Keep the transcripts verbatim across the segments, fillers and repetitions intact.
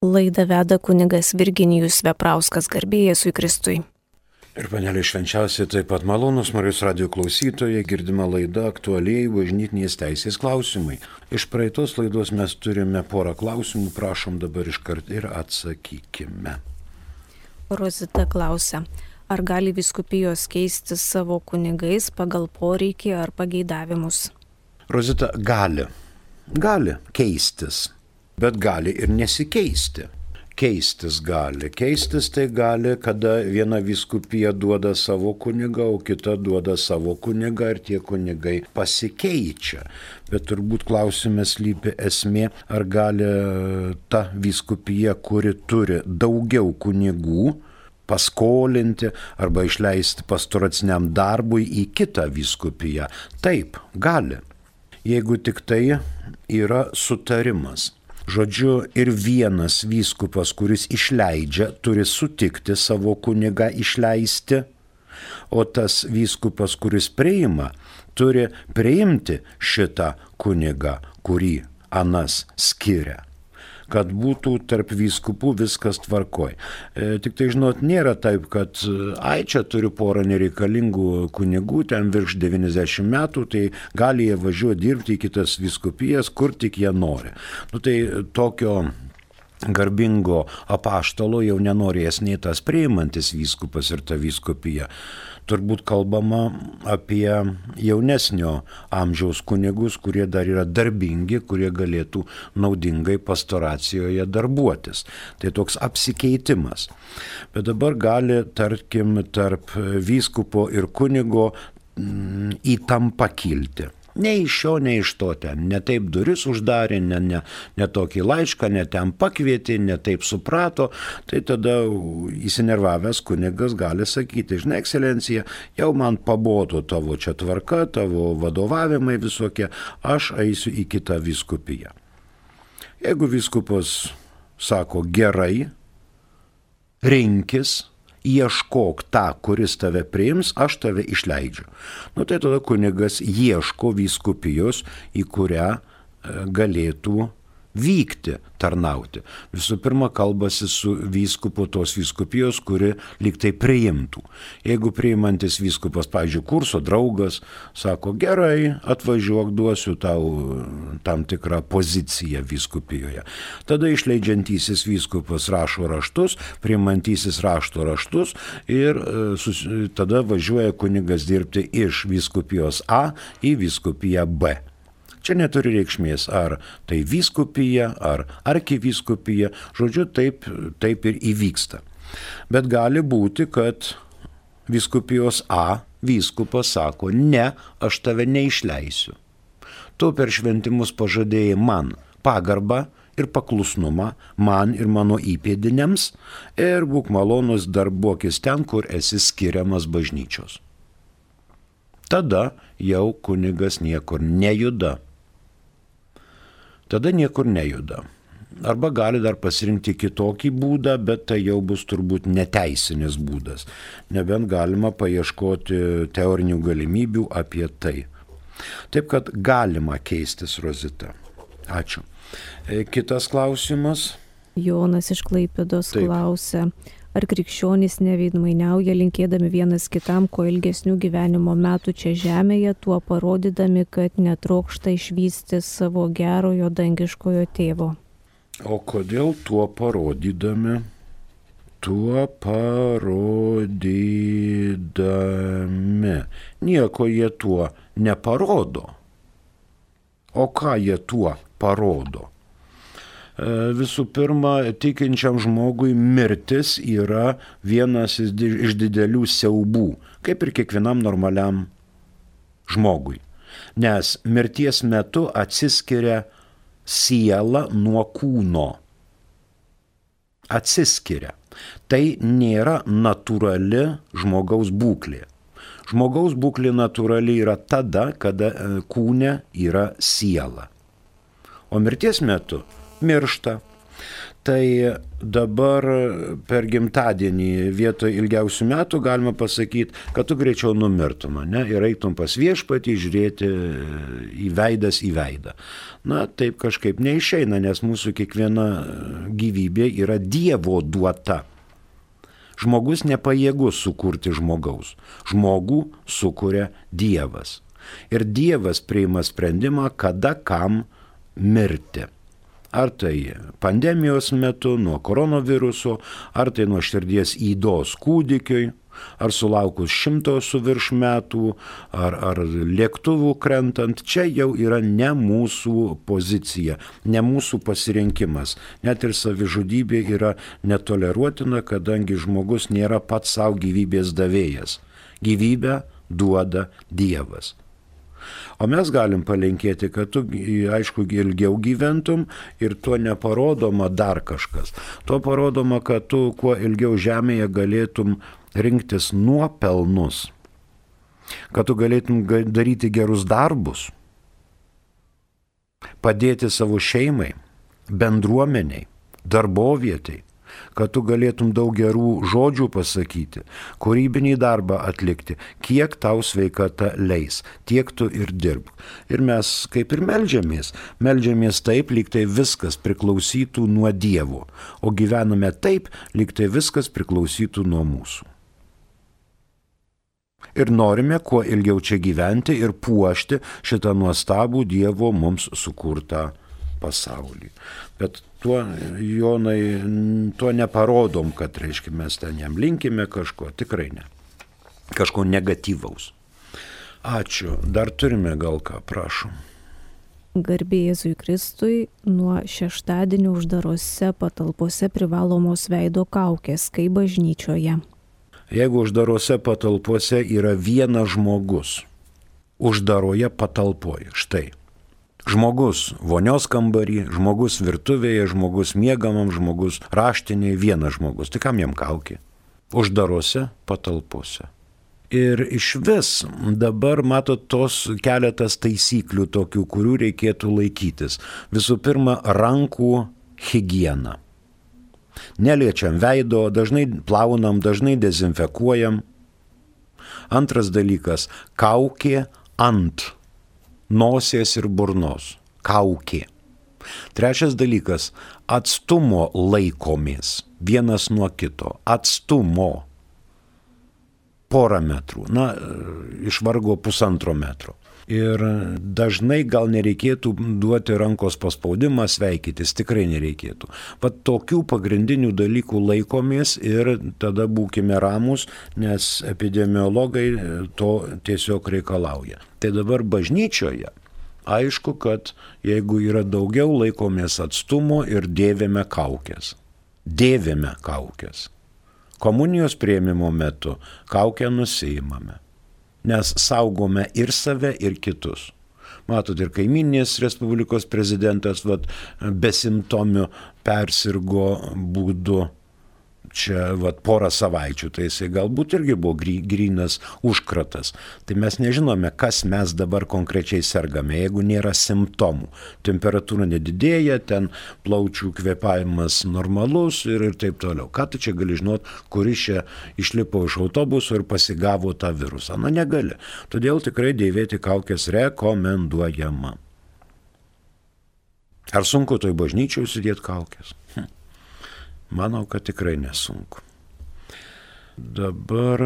Laidą veda kunigas Virginijus Veprauskas, garbė Jėzui Kristui. Ir panelė švenčiausiai taip pat malonus Marijos radijo klausytojai, girdima laida aktualiai bažnytinės teisės klausimai. Iš praeitos laidos mes turime porą klausimų, prašom dabar iškart ir atsakykime. Rozita klausia, ar gali vyskupijos keisti savo kunigais pagal poreikį ar pageidavimus? Rozita, gali. Gali keistis, bet gali ir nesikeisti. Keistis gali. Keistis tai gali, kada viena vyskupija duoda savo kunigą, o kita duoda savo kunigą ir tie kunigai pasikeičia. Bet turbūt klausime slypi esmė, ar gali ta vyskupija, kuri turi daugiau kunigų, paskolinti arba išleisti pastoraciniam darbui į kitą vyskupiją. Taip, gali. Jeigu tik tai yra sutarimas. Žodžiu, ir vienas vyskupas, kuris išleidžia, turi sutikti savo kunigą išleisti, o tas vyskupas, kuris priima, turi priimti šitą kunigą, kurį anas skiria, kad būtų tarp vyskupų viskas tvarkoj. E, tik tai, žinot, nėra taip, kad ai, čia turiu porą nereikalingų kunigų, ten virš devyniasdešimt metų, tai gali jie važiuoti dirbti į kitas vyskupijas, kur tik jie nori. Nu tai tokio garbingo apaštalo jau nenorės nei tas priimantis vyskupas ir ta vyskupija. Turbūt kalbama apie jaunesnio amžiaus kunigus, kurie dar yra darbingi, kurie galėtų naudingai pastoracijoje darbuotis. Tai toks apsikeitimas. Bet dabar gali, tarkim, tarp vyskupo ir kunigo mm, įtampa kilti. Ne iš šio, ne iš to ten. Ne taip duris uždarė, ne, ne, ne tokį laišką, ne ten pakvietė, ne taip suprato. Tai tada įsinervavęs kunigas gali sakyti, žinai, ekscelencija, jau man pabodo tavo čia tvarka, tavo vadovavimai visokie, aš eisiu į kitą vyskupiją. Jeigu vyskupas sako gerai, rinkis, ieškok tą, kuris tave priims, aš tave išleidžiu. Nu tai tada kunigas ieško vyskupijos, į kurią galėtų vykti, tarnauti. Visų pirma, kalbasi su vyskupu tos vyskupijos, kuri lyg tai priimtų. Jeigu priimantis vyskupas, pavyzdžiui, kurso draugas, sako, gerai, atvažiuok, duosiu tau tam tikrą poziciją vyskupijoje. Tada išleidžiantysis vyskupas rašo raštus, priimantysis rašto raštus ir sus, tada važiuoja kunigas dirbti iš vyskupijos A į vyskupiją B. Čia neturi reikšmės, ar tai vyskupija, ar arkivyskupija, žodžiu, taip, taip ir įvyksta. Bet gali būti, kad vyskupijos A vyskupas sako, ne, aš tave neišleisiu. Tu per šventimus pažadėjai man pagarbą ir paklusnumą, man ir mano įpėdiniams, ir būk malonus darbuokis ten, kur esi skiriamas bažnyčios. Tada jau kunigas niekur nejuda. Tada niekur nejuda. Arba gali dar pasirinkti kitokį būdą, bet tai jau bus turbūt neteisinis būdas. Nebent galima paieškoti teorinių galimybių apie tai. Taip kad galima keistis, Rozita. Ačiū. Kitas klausimas. Jonas iš Klaipėdos klausia, ar krikščionys neveidmainiauja linkėdami vienas kitam kuo ilgesnių gyvenimo metų čia žemėje, tuo parodydami, kad netrokšta išvysti savo gerojo dangiškojo tėvo. O kodėl tuo parodydami? Tuo parodydami. Nieko jie tuo neparodo. O ką jie tuo parodo? Visų pirma, tikinčiam žmogui mirtis yra vienas iš didelių siaubų, kaip ir kiekvienam normaliam žmogui. Nes mirties metu atsiskiria siela nuo kūno. Atsiskiria. Tai nėra natūrali žmogaus būklė. Žmogaus būklė natūrali yra tada, kada kūne yra siela. O mirties metu miršta, Tai dabar per gimtadienį vietoj ilgiausių metų galima pasakyti, kad tu greičiau numirtum, ne, ir eitum pas viešpatį žiūrėti į veidas į veidą. Na, taip kažkaip neišeina, nes mūsų kiekviena gyvybė yra Dievo duota. Žmogus nepajėgus sukurti žmogaus. Žmogų sukuria Dievas. Ir Dievas priima sprendimą, kada kam mirti. Ar tai pandemijos metu nuo koronaviruso, ar tai nuo širdies ydos kūdikiui, ar sulaukus šimto su virš metų, ar, ar lėktuvų krentant, čia jau yra ne mūsų pozicija, ne mūsų pasirinkimas. Net ir savižudybė yra netoleruotina, kadangi žmogus nėra pats savo gyvybės davėjas. Gyvybę duoda Dievas. O mes galim palinkėti, kad tu, aišku, ilgiau gyventum ir tuo neparodoma dar kažkas. Tuo parodoma, kad tu kuo ilgiau žemėje galėtum rinktis nuopelnus, kad tu galėtum daryti gerus darbus, padėti savo šeimai, bendruomeniai, darbovietai, kad tu galėtum daug gerų žodžių pasakyti, kūrybinį darbą atlikti, kiek tau sveikata leis, tiek tu ir dirb. Ir mes kaip ir meldžiamės, meldžiamės taip, lyg tai viskas priklausytų nuo Dievo, o gyvename taip, lyg tai viskas priklausytų nuo mūsų. Ir norime kuo ilgiau čia gyventi ir puošti šitą nuostabų Dievo mums sukurtą pasaulį. Bet tuo, Jonai, tuo neparodom, kad, reiškia, mes ten jam linkime kažko, tikrai ne. Kažko negatyvaus. Ačiū. Dar turime gal ką, prašom. Garbė Jėzui Kristui, nuo šeštadienio uždarose patalpose privalomos veido kaukės, kaip bažnyčioje. Jeigu uždarose patalpose yra vienas žmogus, uždaroje patalpoje, štai. Žmogus vonios kambarį, žmogus virtuvėje, žmogus miegamam, žmogus raštinėje, vienas žmogus. Tai kam jam kaukė? Uždarose patalpose. Ir iš vis dabar matot tos keletas taisyklių tokių, kurių reikėtų laikytis. Visų pirma, rankų higiena. Neliečiam veido, dažnai plaunam, dažnai dezinfekuojam. Antras dalykas, kaukė ant nosies ir burnos. Kaukė. Trečias dalykas, atstumo laikomės vienas nuo kito. Atstumo. Porą metrų. Na, iš vargo pusantro metro. Ir dažnai gal nereikėtų duoti rankos paspaudimą, sveikytis, tikrai nereikėtų. Pat tokių pagrindinių dalykų laikomės ir tada būkime ramus, nes epidemiologai to tiesiog reikalauja. Tai dabar bažnyčioje aišku, kad jeigu yra daugiau, laikomės atstumo ir dėvime kaukės. Dėvime kaukės. Komunijos priėmimo metu kaukę nusiimame. Nes saugome ir save, ir kitus. Matot, ir kaiminės Respublikos prezidentas vat, besimptomiu persirgo būdu čia vat, porą savaičių, tai jisai galbūt irgi buvo grynas užkratas. Tai mes nežinome, kas mes dabar konkrečiai sergame, jeigu nėra simptomų. Temperatūra nedidėja, ten plaučių kvėpavimas normalus ir, ir taip toliau. Ką tu čia gali žinot, kuris čia išlipo iš autobuso ir pasigavo tą virusą? Na, negali. Todėl tikrai dėvėti kaukės rekomenduojama. Ar sunku toj bažnyčiai užsidėti kaukės? Hm. Manau, kad tikrai nesunku. Dabar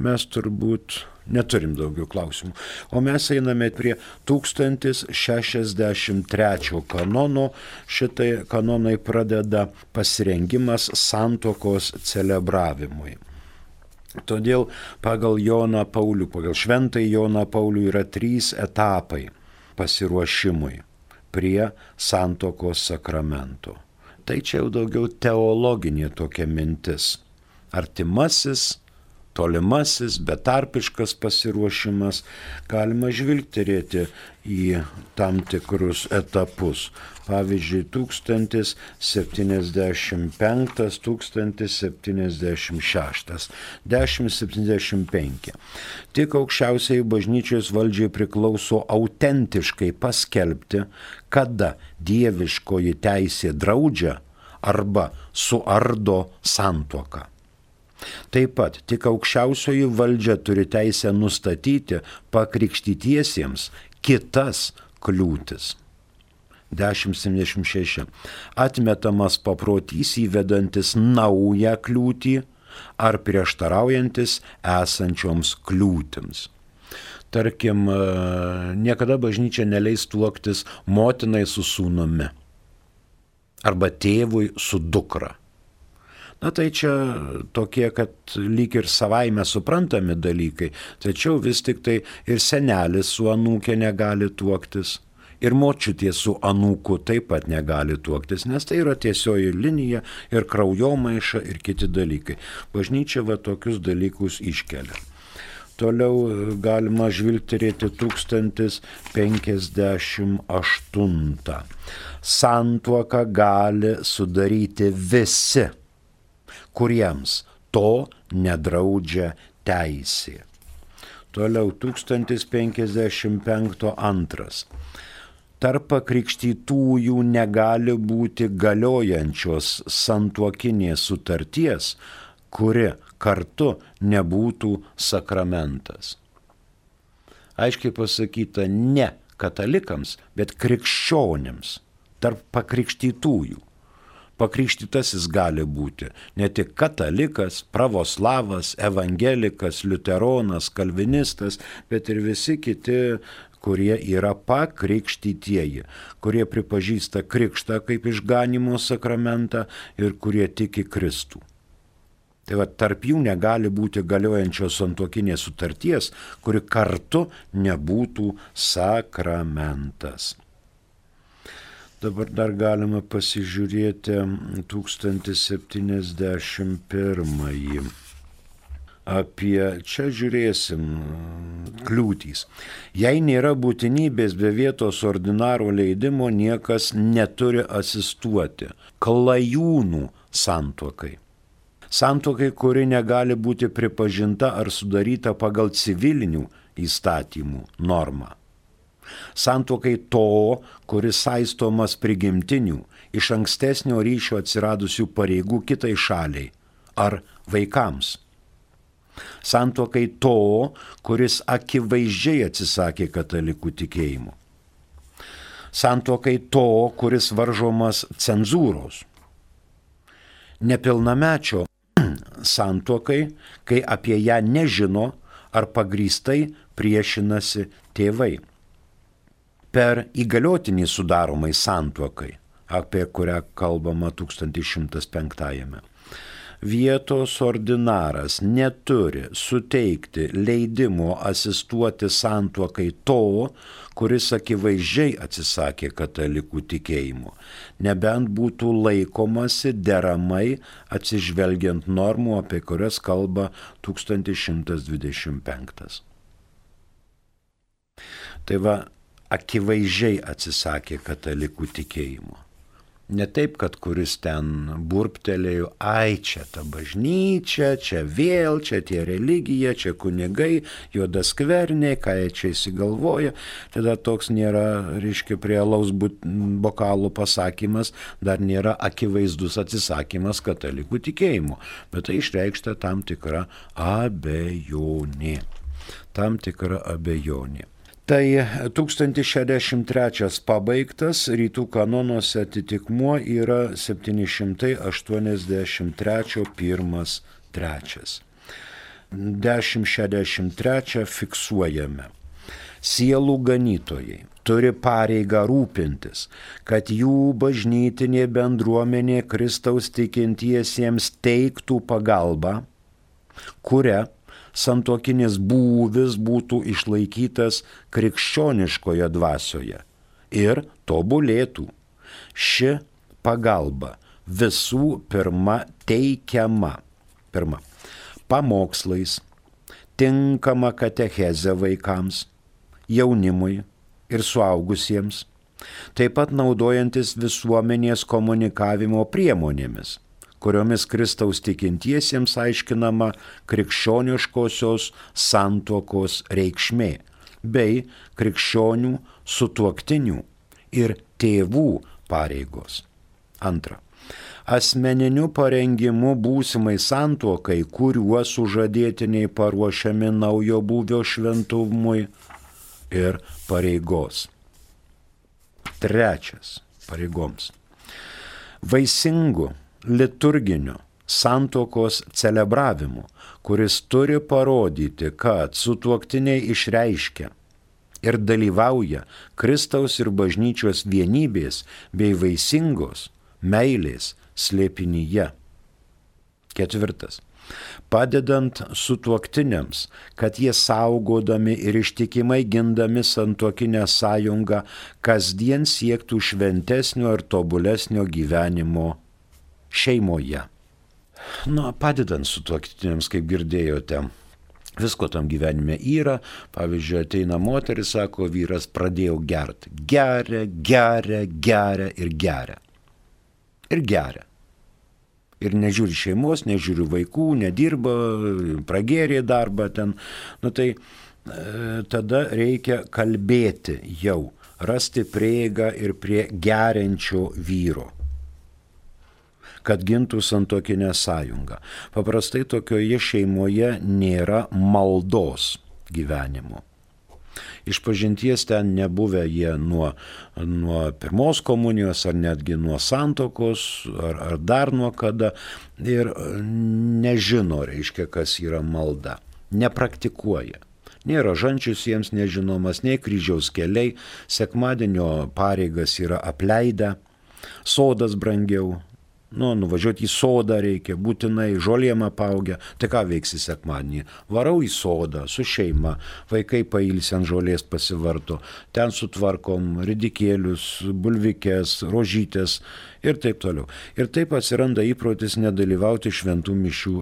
mes turbūt neturim daugiau klausimų. O mes einame prie tūkstantis šešiasdešimt trečio kanono. Šitai kanonai pradeda pasirengimas santuokos celebravimui. Todėl pagal Joną Paulių, pagal Šventąjį Joną Paulių yra trys etapai pasiruošimui prie santuokos sakramento. Tai čia jau daugiau teologinė tokia mintis. Artimasis, tolimasis, betarpiškas pasiruošimas. Galima žvilgterėti į tam tikrus etapus. Pavyzdžiui, tūkstantis septyniasdešimt penktas, tūkstantis septyniasdešimt šeštas, dešimt septyniasdešimt penki. Tik aukščiausiai bažnyčios valdžiai priklauso autentiškai paskelbti, kada dieviškoji teisė draudžia arba suardo santuoką. Taip pat tik aukščiausioji valdžia turi teisę nustatyti pakrikštytiesiems kitas kliūtis. dešimt septyniasdešimt šeši. Atmetamas paprotys įvedantis naują kliūtį ar prieštaraujantis esančioms kliūtims. Tarkim, niekada bažnyčia neleis tuoktis motinai su sūnumi arba tėvui su dukra. Na tai čia tokie, kad lyg ir savaime suprantami dalykai, tačiau vis tik tai ir senelis su anūkė negali tuoktis. Ir močiutė su anūku taip pat negali tuoktis, nes tai yra tiesioji linija ir kraujomaiša ir kiti dalykai. Bažnyčia va tokius dalykus iškelia. Toliau galima žvilgterėti tūkstantis penkiasdešimt aštuntą. Santuoką gali sudaryti visi, kuriems to nedraudžia teisė. Toliau tūkstantis penkiasdešimt penktas antras. Tarp pakrikštytųjų negali būti galiojančios santuokinės sutarties, kuri kartu nebūtų sakramentas. Aiškiai pasakyta ne katalikams, bet krikščionims, tarp pakrikštytųjų. Pakrikštytasis gali būti ne tik katalikas, pravoslavas, evangelikas, liuteronas, kalvinistas, bet ir visi kiti, kurie yra pakrikštytieji, kurie pripažįsta krikštą kaip išganymo sakramentą ir kurie tiki Kristų. Tai va, tarp jų negali būti galiojančios santuokinės sutarties, kuri kartu nebūtų sakramentas. Dabar dar galima pasižiūrėti tūkstantis septyniasdešimt pirmąjį. Apie, čia žiūrėsim, kliūtys. Jei nėra būtinybės be vietos ordinaro leidimo, niekas neturi asistuoti klajūnų santuokai. Santuokai, kuri negali būti pripažinta ar sudaryta pagal civilinių įstatymų normą. Santuokai to, kuris saistomas prigimtinių, iš ankstesnio ryšio atsiradusių pareigų kitai šaliai ar vaikams. Santuokai to, kuris akivaizdžiai atsisakė katalikų tikėjimo. Santuokai to, kuris varžomas cenzūros. Nepilnamečio santuokai, kai apie ją nežino ar pagrįstai priešinasi tėvai. Per įgaliotinį sudaromai santuokai, apie kurią kalbama tūkstantis šimtas penktajame. Vietos ordinaras neturi suteikti leidimo asistuoti santuokai to, kuris akivaizdžiai atsisakė katalikų tikėjimo, nebent būtų laikomasi deramai atsižvelgiant normų, apie kurias kalba tūkstantis šimtas dvidešimt penktas. Tai va, akivaizdžiai atsisakė katalikų tikėjimo. Ne taip, kad kuris ten burptelėjo, ai čia ta bažnyčia, čia vėl, čia tie religija, čia kunigai, juodaskverniai, ką jie čia įsigalvoja. Tada toks nėra, reiškia, prie alaus bokalų pasakymas, dar nėra akivaizdus atsisakymas katalikų tikėjimo. Bet tai išreikšta tam tikra abejonė. Tam tikra abejonė. Tai tūkstantis šešiasdešimt trečias pabaigtas, rytų kanonuose atitikmuo yra septyni šimtai aštuoniasdešimt trečias pirmas trečias. dešimt šešiasdešimt trečias fiksuojame. Sielų ganytojai turi pareigą rūpintis, kad jų bažnytinė bendruomenė Kristaus tikintiesiems teiktų pagalbą, kuria santuokinis būvis būtų išlaikytas krikščioniškoje dvasioje ir tobulėtų. Ši pagalba visų pirma teikiama. Pirma, pamokslais, tinkama katechezė vaikams, jaunimui ir suaugusiems, taip pat naudojantis visuomenės komunikavimo priemonėmis, kuriomis Kristaus tikintiesiems aiškinama krikščioniškosios santuokos reikšmė, bei krikščionių, sutuoktinių ir tėvų pareigos. Antra. asmeniniu parengimu būsimai santuokai, kuriuo sužadėtiniai paruošiami naujo būvio šventumui ir pareigos. Trečias pareigoms. Vaisingu liturginiu santuokos celebravimu, kuris turi parodyti, kad sutuoktiniai išreiškia ir dalyvauja Kristaus ir bažnyčios vienybės bei vaisingos meilės slėpinyje. Ketvirtas. Padedant sutuoktiniams, kad jie saugodami ir ištikimai gindami santuokinę sąjungą kasdien siektų šventesnio ir tobulesnio gyvenimo šeimoje. Na, padedant sutuoktiniams, kaip girdėjote, visko tam gyvenime yra. Pavyzdžiui, ateina moteris, sako, vyras pradėjau gerti. Geria, geria, geria ir geria. Ir geria. Ir nežiūri šeimos, nežiūri vaikų, nedirba, pragėrė darbą ten. Nu tai e, tada reikia kalbėti jau, rasti prieigą ir prie geriančio vyro, kad gintų santuokinę sąjungą. Paprastai tokioje šeimoje nėra maldos gyvenimo. Išpažinties ten nebuvę jie nuo, nuo pirmos komunijos ar netgi nuo santuokos ar, ar dar nuo kada ir nežino, reiškia, kas yra malda. Nepraktikuoja. Nėra žančius jiems nežinomas, nei kryžiaus keliai, sekmadienio pareigas yra apleidę, sodas brangiau. Nu, nuvažiuoti į sodą reikia, būtinai žolėm apaugę. Tai ką veiksi sekmadienį? Varau į sodą su šeima, vaikai pailsi ant žolės pasivarto, ten sutvarkom ridikėlius, bulvikės, rožytės ir taip toliau. Ir taip atsiranda įprotis nedalyvauti šventų mišių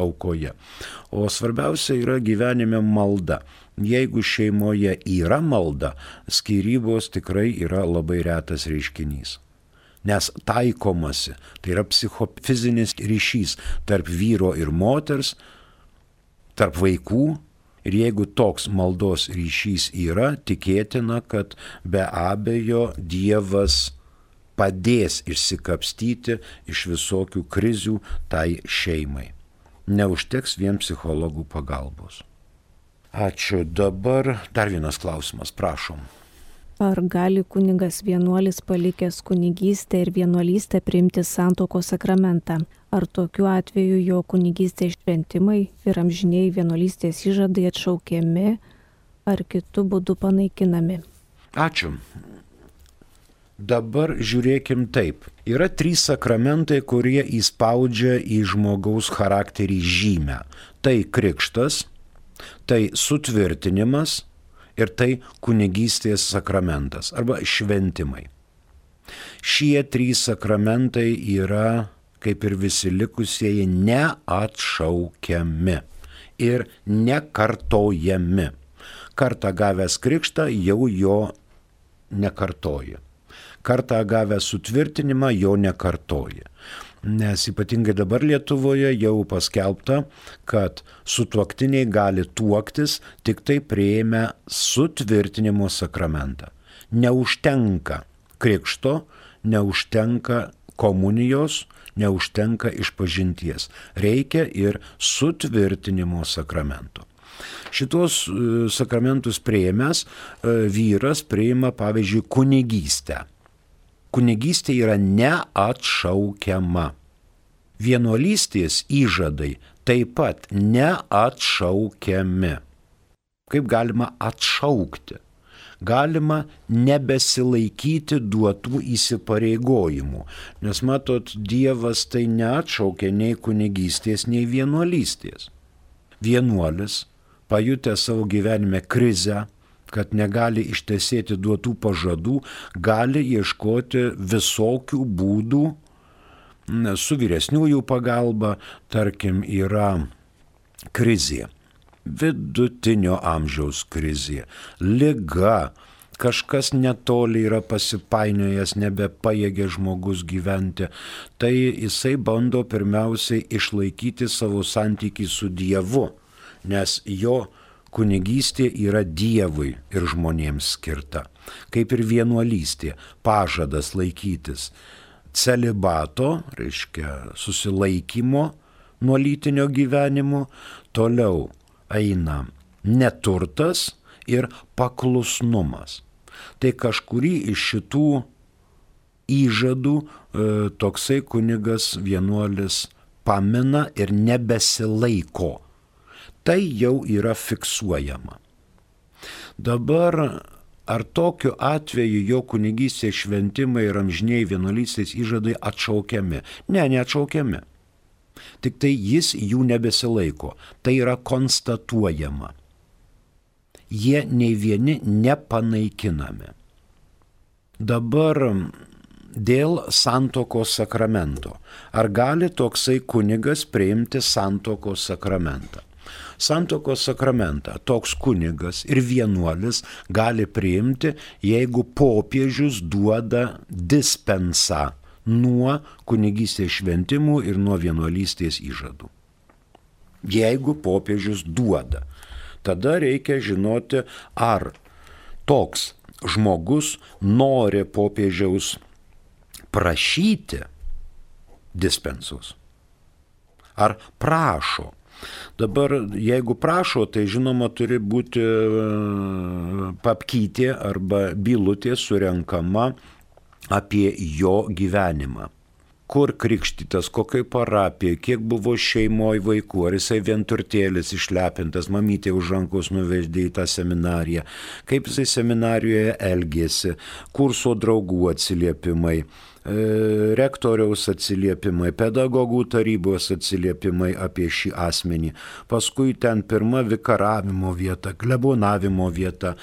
aukoje. O svarbiausia yra gyvenime malda. Jeigu šeimoje yra malda, skyrybos tikrai yra labai retas reiškinys. Nes taikomasi, tai yra psichofizinis ryšys tarp vyro ir moters, tarp vaikų. Ir jeigu toks maldos ryšys yra, tikėtina, kad be abejo Dievas padės išsikapstyti iš visokių krizių tai šeimai. Neužteks vien psichologų pagalbos. Ačiū. Dabar dar vienas klausimas, prašom. Ar gali kunigas vienuolis palikęs kunigystę ir vienuolystę priimti santuokos sakramentą? Ar tokiu atveju jo kunigystės šventimai ir amžiniai vienuolystės įžadai atšaukiami ar kitu būdu panaikinami? Ačiū. Dabar žiūrėkim taip. Yra trys sakramentai, kurie įspaudžia į žmogaus charakterį žymę. Tai krikštas, tai sutvirtinimas ir tai kunigystės sakramentas arba šventimai. Šie trys sakramentai yra, kaip ir visi likusieji, neatšaukiami ir nekartojami. Kartą gavęs krikštą jau jo nekartoji. Kartą gavęs sutvirtinimą jo nekartoji. Nes ypatingai dabar Lietuvoje jau paskelbta, kad sutuoktiniai gali tuoktis tik tai priėmę sutvirtinimo sakramentą. Neužtenka krikšto, neužtenka komunijos, neužtenka išpažinties. Reikia ir sutvirtinimo sakramento. Šitos sakramentus priėmęs vyras priima, pavyzdžiui, kunigystę. Kunigystė yra neatšaukiama. Vienuolystės įžadai taip pat neatšaukiami. Kaip galima atšaukti? Galima nebesilaikyti duotų įsipareigojimų. Nes matot, Dievas tai neatšaukia nei kunigystės, nei vienuolystės. Vienuolis, pajutęs savo gyvenime krizę, kad negali ištesėti duotų pažadų, gali ieškoti visokių būdų su vyresniųjų pagalba. Tarkim, yra krizė, vidutinio amžiaus krizė, liga, kažkas netoli yra pasipainiojęs, nebepajėgia žmogus gyventi. Tai jisai bando pirmiausiai išlaikyti savo santykį su Dievu, nes jo kunigystė yra Dievui ir žmonėms skirta. Kaip ir vienuolystė, pažadas laikytis. celibato, reiškia susilaikymo nuo lytinio gyvenimo, toliau eina neturtas ir paklusnumas. Tai kažkurį iš šitų įžadų e, toksai kunigas vienuolis pamina ir nebesilaiko. Tai jau yra fiksuojama. Dabar ar tokiu atveju jo kunigystės šventimai ir amžiniai vienuolystės įžadai atšaukiami? Ne, neatšaukiami. Tik tai jis jų nebesilaiko. Tai yra konstatuojama. Jie nei vieni nepanaikinami. Dabar dėl santuokos sakramento. Ar gali toksai kunigas priimti santuokos sakramentą? Santuokos sakramentą toks kunigas ir vienuolis gali priimti, jeigu popiežius duoda dispensą nuo kunigystės šventimų ir nuo vienuolystės įžadų. Jeigu popiežius duoda, tada reikia žinoti, ar toks žmogus nori popiežiaus prašyti dispensus, ar prašo. Dabar, jeigu prašo, tai žinoma turi būti papkytė arba bylutė surenkama apie jo gyvenimą. Kur krikštytas, kokioj parapijai, kiek buvo šeimoje vaikų, ar jisai vienturtėlis išlepintas, mamytė už rankos nuveždė į tą seminariją, kaip jisai seminarijoje elgėsi, kurso draugų atsiliepimai, rektoriaus atsiliepimai, pedagogų tarybos atsiliepimai apie šį asmenį, paskui ten pirma vikaravimo vieta, klebonavimo vieta,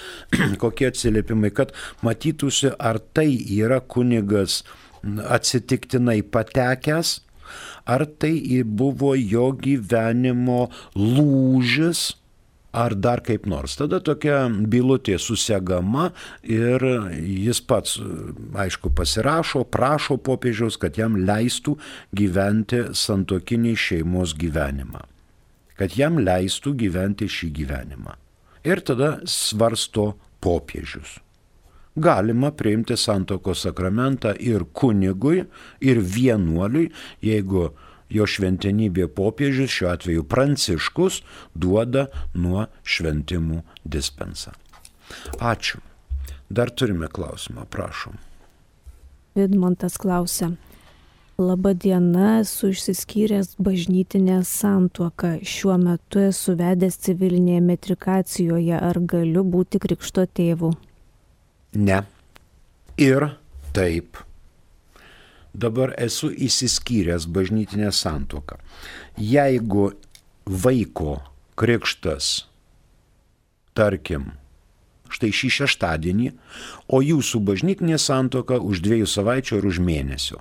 kokie atsiliepimai, kad matytųsi, ar tai yra kunigas atsitiktinai patekęs, ar tai buvo jo gyvenimo lūžis, ar dar kaip nors. Tada tokia bylutė susegama ir jis pats, aišku, pasirašo, prašo popiežiaus, kad jam leistų gyventi santuokinį šeimos gyvenimą. Kad jam leistų gyventi šį gyvenimą. Ir tada svarsto popiežius. Galima priimti santuokos sakramentą ir kunigui, ir vienuoliui, jeigu jo šventenybė popiežius, šiuo atveju Pranciškus, duoda nuo šventimų dispensą. Ačiū. Dar turime klausimą, prašom. Vidmantas klausia. Labą dieną, esu išsiskyręs bažnytinę santuoką. Šiuo metu esu vedęs civilinėje metrikacijoje. Ar galiu būti krikšto tėvu? Ne. Ir taip. Dabar esu įsiskyręs bažnytinę santuoką. Jeigu vaiko krikštas, tarkim, štai šį šeštadienį, o jūsų bažnytinė santuoka už dviejų savaičių ar už mėnesio,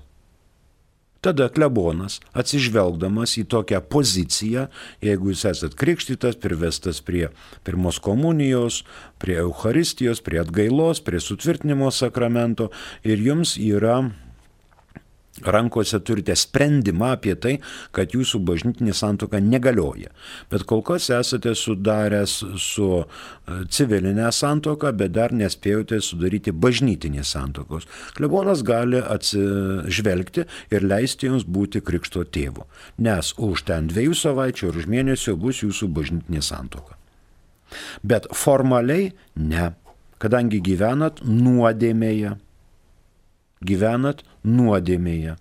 tada klebonas, atsižvelgdamas į tokią poziciją, jeigu jūs esat krikštytas, privestas prie pirmos komunijos, prie Eucharistijos, prie atgailos, prie sutvirtinimo sakramento ir jums yra rankose turite sprendimą apie tai, kad jūsų bažnytinė santuoka negalioja. Bet kol kas esate sudaręs su civilinė santuoka, bet dar nespėjote sudaryti bažnytinės santuokos. Klebonas gali atsižvelgti ir leisti jums būti krikšto tėvu, nes už ten dviejų savaičių ar už mėnesio bus jūsų bažnytinė santuoka. Bet formaliai ne, kadangi gyvenat nuodėmėje. Gyvenat nuodėmėje,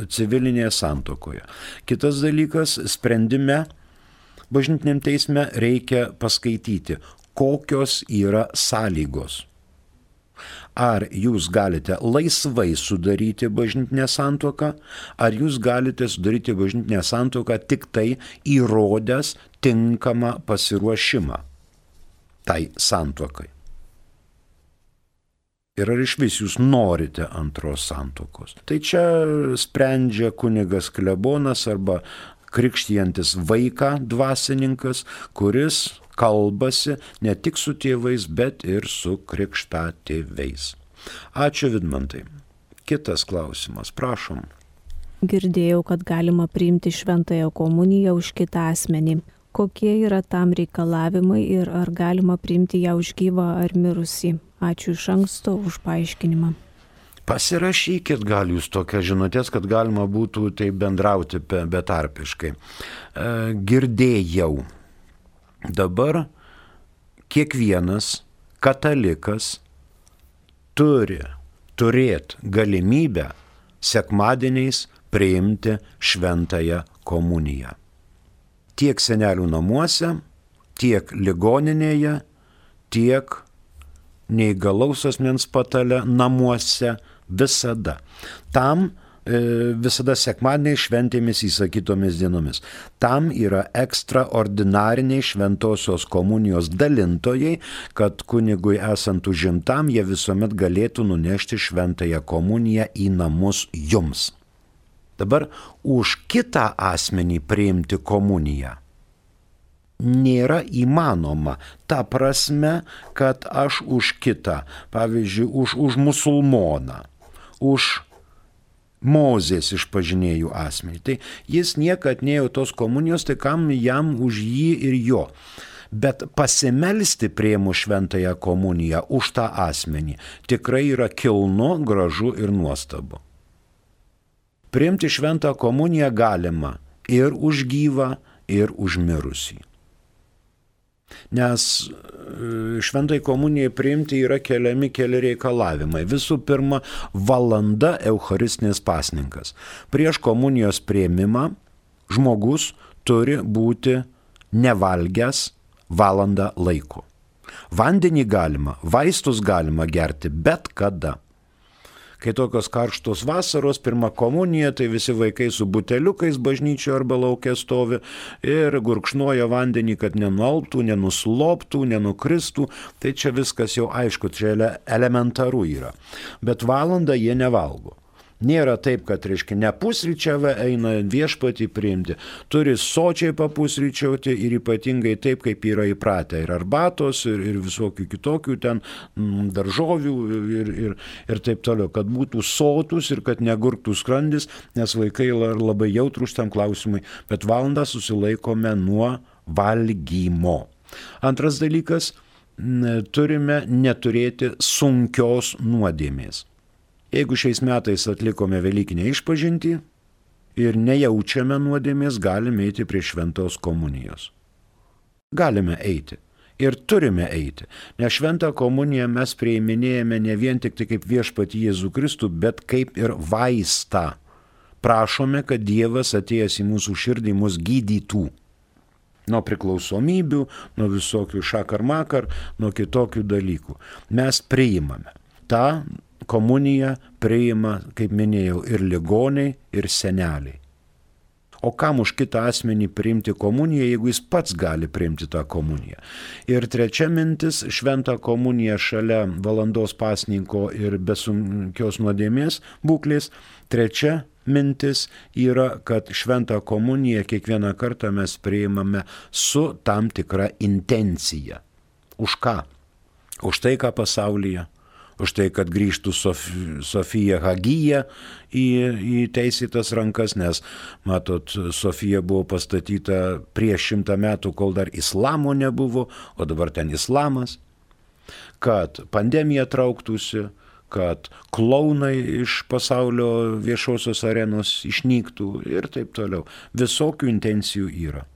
civilinėje santuokoje. Kitas dalykas, sprendime bažnytiniam teisme reikia paskaityti, kokios yra sąlygos. Ar jūs galite laisvai sudaryti bažnytinę santuoką, ar jūs galite sudaryti bažnytinę santuoką tik tai įrodęs tinkamą pasiruošimą tai santuokai. Ir ar iš vis jūs norite antros santuokos. Tai čia sprendžia kunigas klebonas arba krikštijantis vaiką dvasininkas, kuris kalbasi ne tik su tėvais, bet ir su krikštatėviais. Ačiū, Vidmantai. Kitas klausimas, prašom. Girdėjau, kad galima priimti šventąją komuniją už kitą asmenį. Kokie yra tam reikalavimai ir ar galima priimti ją už gyvą ar mirusį? Ačiū iš anksto už paaiškinimą. Pasirašykit gal jūs tokias žinutės, kad galima būtų taip bendrauti betarpiškai. Girdėjau. Dabar kiekvienas katalikas turi turėti galimybę sekmadieniais priimti šventąją komuniją. Tiek senelių namuose, tiek ligoninėje, tiek neįgalaus asmens patale namuose visada. Tam visada sekmadieniais šventėmis įsakytomis dienomis. Tam yra ekstraordinariniai šventosios komunijos dalintojai, kad kunigui esant užimtam, jie visuomet galėtų nunešti šventąją komuniją į namus jums. Dabar už kitą asmenį priimti komuniją nėra įmanoma. Ta prasme, kad aš už kitą, pavyzdžiui, už, už musulmoną, už Mozės išpažinėjų asmenį. Tai jis niekad neėjo tos komunijos, tai kam jam už jį ir jo. Bet pasimelsti priėmus šventąją komuniją už tą asmenį tikrai yra kilnu, gražu ir nuostabu. Priimti šventą komuniją galima ir už gyvą, ir už mirusį. Nes šventai komunijai priimti yra keliami keli reikalavimai. Visų pirma, valanda eucharistinės pasninkas. Prieš komunijos priėmimą žmogus turi būti nevalgęs valandą laiko. Vandenį galima, vaistus galima gerti bet kada. Kai tokios karštos vasaros, pirma komunija, tai visi vaikai su buteliukais bažnyčioje arba lauke stovi ir gurkšnoja vandenį, kad nenualptų, nenusloptų, nenukristų. Tai čia viskas jau aišku, čia elementaru yra. Bet valandą jie nevalgo. Nėra taip, kad, reiškia, ne pusryčiavę eina viešpatį priimti. Turi sočiai papusryčiauti ir ypatingai taip, kaip yra įpratę. Ir arbatos, ir, ir visokių kitokių ten mm, daržovių ir, ir, ir taip toliau. Kad būtų sotus ir kad negurktų skrandis, nes vaikai labai jautrūs tam klausimui. Bet valandą susilaikome nuo valgymo. Antras dalykas, turime neturėti sunkios nuodėmės. Jeigu šiais metais atlikome Velykinę išpažintį ir nejaučiame nuodėmės, galime eiti prie šventos komunijos. Galime eiti ir turime eiti, nes šventą komuniją mes priiminėjame ne vien tik tai kaip viešpatį Jėzų Kristų, bet kaip ir vaistą. Prašome, kad Dievas atėjęs į mūsų širdį mus gydytų. Nuo priklausomybių, nuo visokių šakar-makar, nuo kitokių dalykų. Mes priimame tą komuniją priima, kaip minėjau, ir ligoniai, ir seneliai. O kam už kitą asmenį priimti komuniją, jeigu jis pats gali priimti tą komuniją? Ir trečia mintis, šventą komuniją šalia valandos pasninko ir besunkios nuodėmės būklės. Trečia mintis yra, kad šventą komuniją kiekvieną kartą mes priimame su tam tikra intencija. Už ką? Už tai, ką pasaulyje. Už tai, kad grįžtų Sof, Sofija Hagija į, į teisėtas rankas, nes, matot, Sofija buvo pastatyta prieš šimtą metų, kol dar islamo nebuvo, o dabar ten islamas. Kad pandemija trauktųsi, kad klounai iš pasaulio viešosios arenos išnyktų ir taip toliau. Visokių intencijų yra.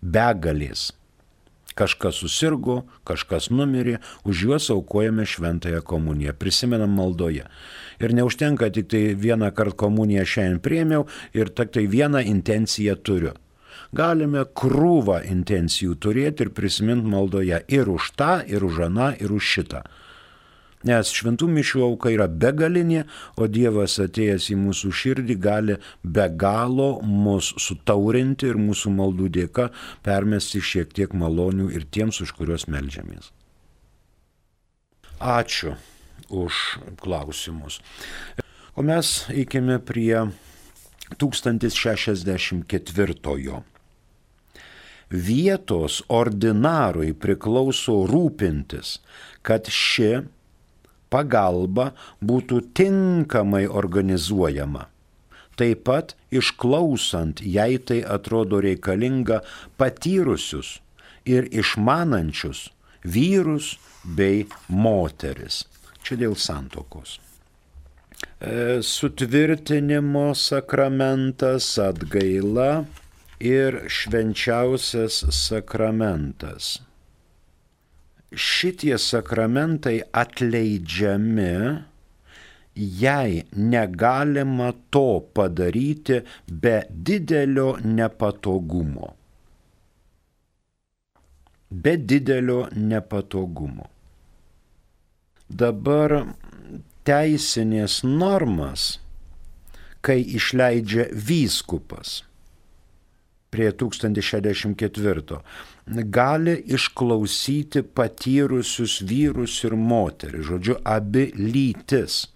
Begalės. Kažkas susirgo, kažkas numirė, už juos aukojame šventąją komuniją, prisimenam maldoje. Ir neužtenka tik tai vieną kartą komuniją šiandien priėmiau ir tik tai vieną intenciją turiu. Galime krūvą intencijų turėti ir prisiminti maldoje ir už tą, ir už aną, ir už šitą. Nes šventų mišių auka yra begalinė, o Dievas atėjęs į mūsų širdį gali be galo mus sutaurinti ir mūsų maldų dėka permesti šiek tiek malonių ir tiems, už kuriuos meldžiamės. Ačiū už klausimus. O mes eikime prie tūkstantis šešiasdešimt ketvirtojo. Vietos ordinarui priklauso rūpintis, kad ši pagalba būtų tinkamai organizuojama. Taip pat išklausant, jei tai atrodo reikalinga, patyrusius ir išmanančius vyrus bei moteris. Čia dėl santuokos. sutvirtinimo sakramentas, atgaila ir švenčiausias sakramentas. Šitie sakramentai atleidžiami, jei negalima to padaryti be didelio nepatogumo. Be didelio nepatogumo. Dabar teisinės normas, kai išleidžia vyskupas prie tūkstantis šešiasdešimt ketvirto, gali išklausyti patyrusius vyrus ir moteris, žodžiu, abi lytis.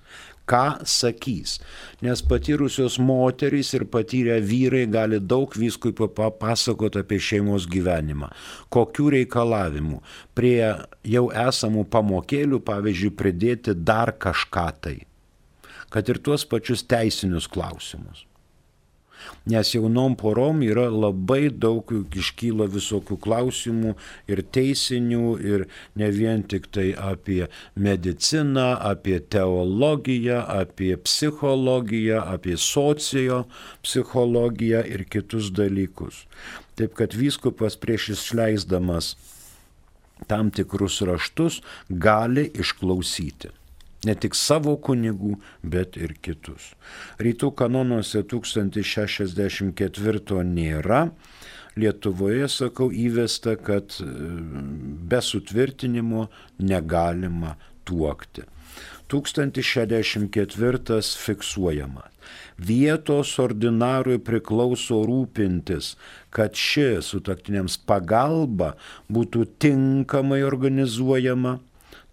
Ką sakys? Nes patyrusios moterys ir patyrę vyrai gali daug vyskupui papasakoti apie šeimos gyvenimą. Kokių reikalavimų? Prie jau esamų pamokėlių, pavyzdžiui, pridėti dar kažką tai. Kad ir tuos pačius teisinius klausimus. Nes jaunom porom yra labai daug iškyla visokių klausimų ir teisinių, ir ne vien tik tai apie mediciną, apie teologiją, apie psichologiją, apie socio psichologiją ir kitus dalykus. Taip kad vyskupas prieš išleisdamas tam tikrus raštus gali išklausyti. Ne tik savo kunigų, bet ir kitus. Rytų kanonuose tūkstantis šešiasdešimt ketvirto nėra. Lietuvoje, sakau, įvesta, kad be sutvirtinimo negalima tuokti. tūkstantis šešiasdešimt ketvirtas fiksuojama. Vietos ordinarui priklauso rūpintis, kad ši sutuoktiniams pagalba būtų tinkamai organizuojama,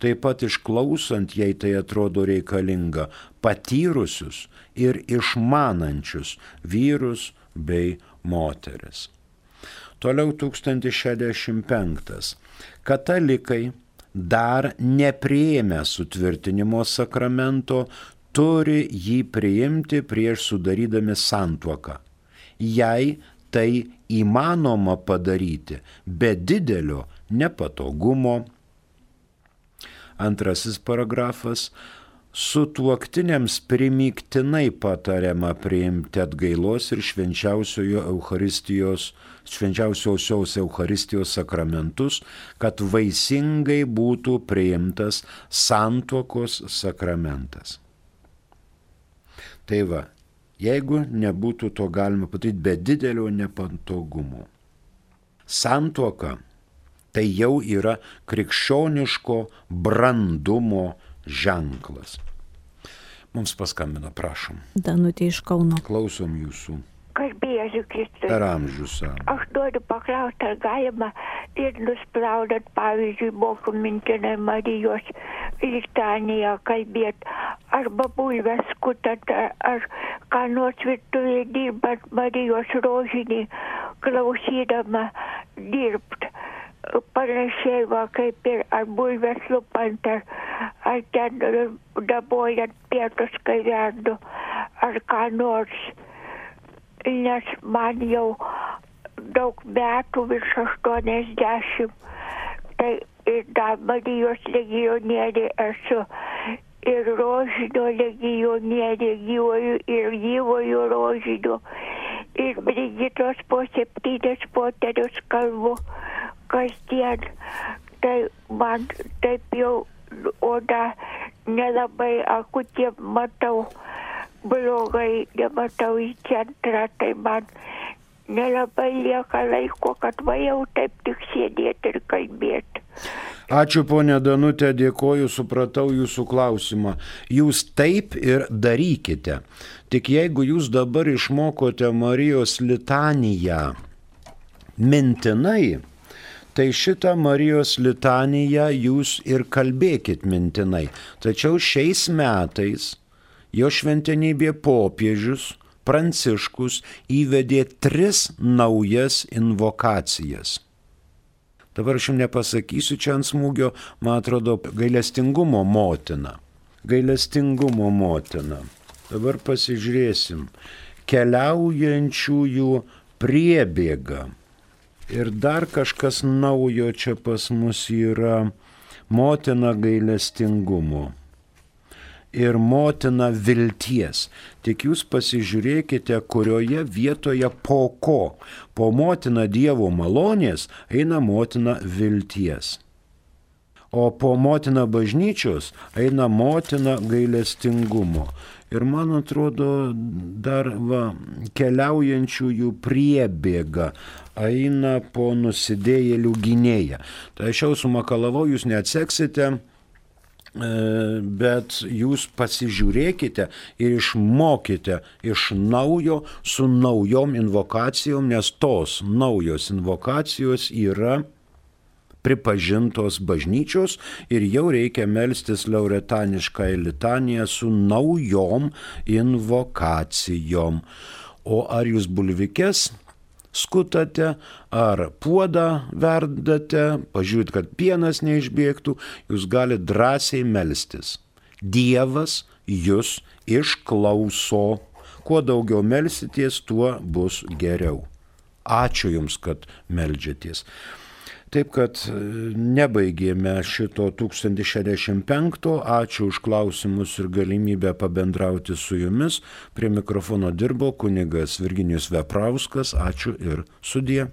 taip pat išklausant, jei tai atrodo reikalinga, patyrusius ir išmanančius vyrus bei moteris. Toliau tūkstantis šešiasdešimt penktas. Katalikai dar nepriėmę sutvirtinimo sakramento turi jį priimti prieš sudarydami santuoką. Jei tai įmanoma padaryti be didelio nepatogumo. Antrasis paragrafas. Sutuoktiniams primygtinai patariama priimti atgailos ir švenčiausiojo Eucharistijos, švenčiausiosios Eucharistijos sakramentus, kad vaisingai būtų priimtas santuokos sakramentas. Tai va, jeigu nebūtų to galima padaryti be didelio nepatogumo. Santuoka tai jau yra krikščioniško brandumo ženklas. Mums paskambino, prašom. Danutė iš Kauno. Klausom jūsų. Garbėsiu Kristui. Per amžius. Aš noriu paklausti, ar galima ir nuspraudant, pavyzdžiui, mokų mintinai Marijos litaniją kalbėti, arba bulves skutant, ar, ar ką nors virtuvėje dirbant Marijos rožinį, klausydama dirbt. Panašiai va, kaip ir ar bulves lupant, ar, ar ten dabojant pietus, kai verdu, ar ką nors. Nes man jau daug metų, virš aštuoniasdešimt, tai ir dar Marijos legionierė esu, ir rožinio legionierė, gyvojo ir gyvojo rožinio, ir Brigitos po septynis poterius kalbu kasdien. Tai man taip jau oda nelabai akutė matau. Blogai nematau į centrą, tai man nelabai lieka laiko, kad va jau taip tik sėdėti ir kalbėti. Ačiū, ponė Danutė, dėkoju, supratau jūsų klausimą. Jūs taip ir darykite. Tik jeigu jūs dabar išmokote Marijos litaniją mintinai, tai šitą Marijos litaniją jūs ir kalbėkit mintinai. Tačiau šiais metais jo šventenybė popiežius Pranciškus įvedė tris naujas invokacijas. Dabar aš jums nepasakysiu čia ant smūgio, man atrodo, gailestingumo motina. Gailestingumo motina. Dabar pasižiūrėsim. Keliaujančiųjų priebėga. Ir dar kažkas naujo čia pas mus yra motina gailestingumo. ir motina vilties. Tik jūs pasižiūrėkite, kurioje vietoje po ko. Po motina Dievo malonės eina motina vilties. O po motina bažnyčios eina motina gailestingumo. Ir man atrodo, dar va, keliaujančiųjų priebėga eina po nusidėjėlių gynėją. Tai aš jau sumakalavau, jūs neatseksite, bet jūs pasižiūrėkite ir išmokite iš naujo su naujom invokacijom, nes tos naujos invokacijos yra pripažintos bažnyčios ir jau reikia melstis lauretanišką litaniją su naujom invokacijom. O ar jūs bulvikes skutate, ar puodą verdate, pažiūrėt, kad pienas neišbėgtų, jūs galite drąsiai melstis. Dievas jūs išklauso. Kuo daugiau melsitės, tuo bus geriau. Ačiū Jums, kad meldžiatės. Taip kad nebaigėme šito tūkstantis šešiasdešimt penkto. Ačiū už klausimus ir galimybę pabendrauti su jumis. Prie mikrofono dirbo kunigas Virginijus Veprauskas. Ačiū ir sudie.